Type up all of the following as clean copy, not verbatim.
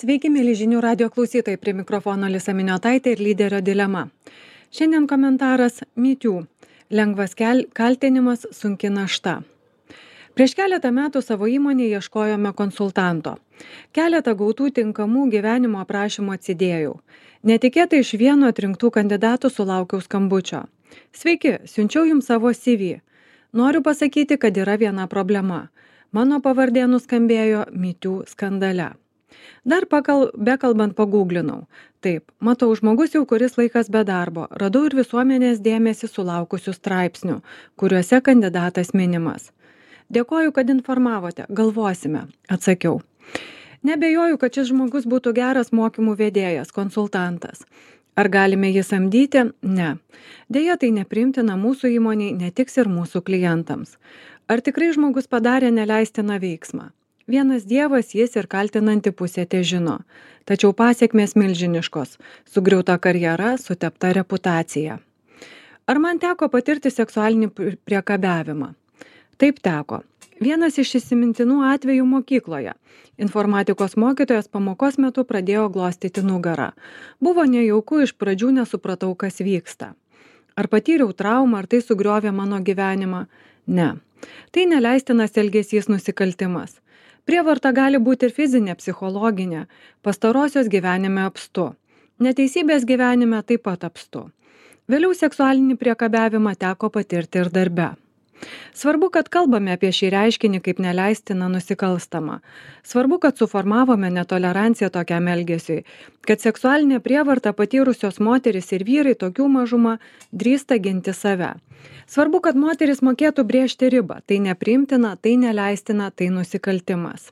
Sveiki, mėly žinių radio klausytojai, prie mikrofono Alisa Miniotaitė ir lyderio dilema. Šiandien komentaras MeToo. Lengvas kaltinimas, sunki našta. Prieš keletą metų savo įmonėje ieškojome konsultanto. Keletą gautų tinkamų gyvenimo aprašymų atsidėjau. Netikėtai iš vieno atrinktų kandidatų sulaukiau skambučio. Sveiki, siunčiau jums savo CV. Noriu pasakyti, kad yra viena problema. Mano pavardė nuskambėjo MeToo skandale. Dar bekalbant pagūglinau. Taip, matau žmogus jau kuris laikas be darbo. Radau ir visuomenės dėmesį sulaukusių straipsnių, kuriuose kandidatas minimas. Dėkoju, kad informavote. Galvosime, atsakiau. Nebejoju, kad šis žmogus būtų geras mokymų vedėjas, konsultantas. Ar galime jį samdyti? Ne. Deja, tai nepriimtina mūsų įmoniai, netiks ir mūsų klientams. Ar tikrai žmogus padarė neleistiną veiksmą? Vienas Dievas, jis ir kaltinanti pusė težino. Tačiau pasiekmės milžiniškos. Sugriauta karjera, sutepta reputacija. Ar man teko patirti seksualinį priekabiavimą? Taip teko. Vienas iš įsimintinų atvejų mokykloje. Informatikos mokytojas pamokos metu pradėjo glostyti nugarą. Buvo nejauku, iš pradžių nesupratau, kas vyksta. Ar patyriau traumą, ar tai sugriovė mano gyvenimą? Ne. Tai neleistinas elgesys, nusikaltimas. Prievarta gali būti ir fizinė, psichologinė. Pastarosios gyvenime apstu. Neteisybės gyvenime taip pat apstu. Vėliau seksualinį priekabiavimą teko patirti ir darbe. Svarbu, kad kalbame apie šį reiškinį kaip neleistiną nusikalstamą. Svarbu, kad suformavome netoleranciją tokiam elgesiui, kad seksualinė prievarta patyrusios moteris ir vyrai tokių mažumą drįsta ginti save. Svarbu, kad moteris mokėtų brėžti ribą. Tai nepriimtina, tai neleistina, tai nusikaltimas.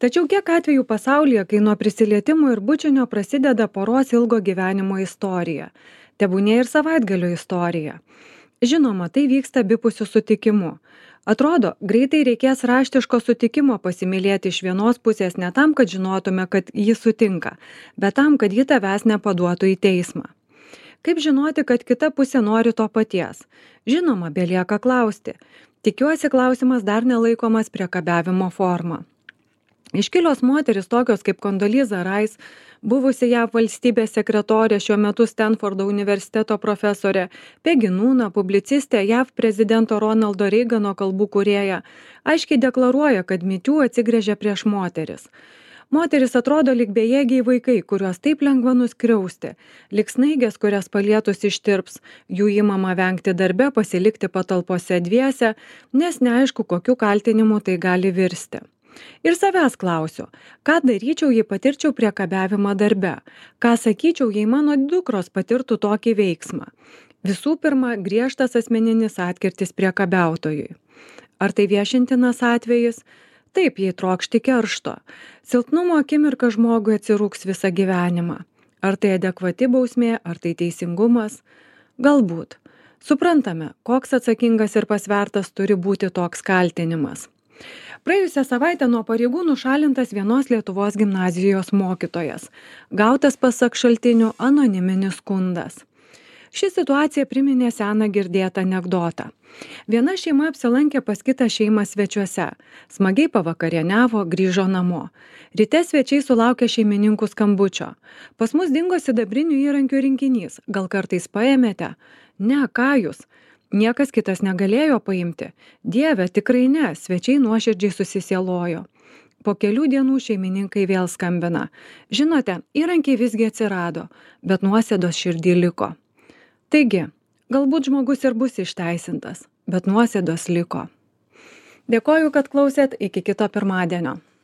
Tačiau kiek atvejų pasaulyje, kai nuo prisilietimų ir bučinio prasideda poros ilgo gyvenimo istorija. Tebūnie ir savaitgalio istorija. Žinoma, tai vyksta abipusiu sutikimu. Atrodo, greitai reikės raštiško sutikimo pasimylėti iš vienos pusės ne tam, kad žinotume, kad jis sutinka, bet tam, kad ji tavęs nepaduotų į teismą. Kaip žinoti, kad kita pusė nori to paties? Žinoma, belieka klausti. Tikiuosi, klausimas dar nelaikomas priekabiavimo forma. Iškilios moteris tokios kaip Condoleezza Rice, buvusi JAV valstybės sekretorė, šiuo metu Stanfordo universiteto profesorė, Peggy Noona, publicistė, JAV prezidento Ronaldo Reigano kalbų kūrėja, aiškiai deklaruoja, kad MeToo atsigręžia prieš moteris. Moteris atrodo lyg bejėgiai vaikai, kuriuos taip lengva nuskriausti, lyg snaigės, kurias palietus ištirps, jų įmama vengti darbe, pasilikti patalpose dviese, nes neaišku, kokiu kaltinimu tai gali virsti. Ir savęs klausiu, ką daryčiau, jei patirčiau priekabiavimą darbe, ką sakyčiau, jei mano dukros patirtų tokį veiksmą. Visų pirma, griežtas asmeninis atkirtis priekabiautojui. Ar tai viešintinas atvejis? Taip, jei trokšti keršto. Silpnumo akimirka žmogui atsirūks visą gyvenimą. Ar tai adekvati bausmė, ar tai teisingumas? Galbūt. Suprantame, koks atsakingas ir pasvertas turi būti toks kaltinimas. Praėjusią savaitę nuo pareigų nušalintas vienos Lietuvos gimnazijos mokytojas. Gautas pasak šaltinių anoniminis skundas. Ši situacija priminė seną girdėtą anekdotą. Viena šeima apsilankė pas kitą šeimą svečiuose. Smagiai pavakarieniavo, grįžo namo. Ryte svečiai sulaukė šeimininkų skambučio. Pas mus dingo sidabrinių įrankių rinkinys. Gal kartais paėmėte? Ne, ką jūs? Niekas kitas negalėjo paimti. Dieve, tikrai ne, svečiai nuoširdžiai susisielojo. Po kelių dienų šeimininkai vėl skambina. Žinote, įrankiai visgi atsirado, bet nuosėdos širdį liko. Taigi, galbūt žmogus ir bus išteisintas, bet nuosėdos liko. Dėkoju, kad klausėt, iki kito pirmadienio.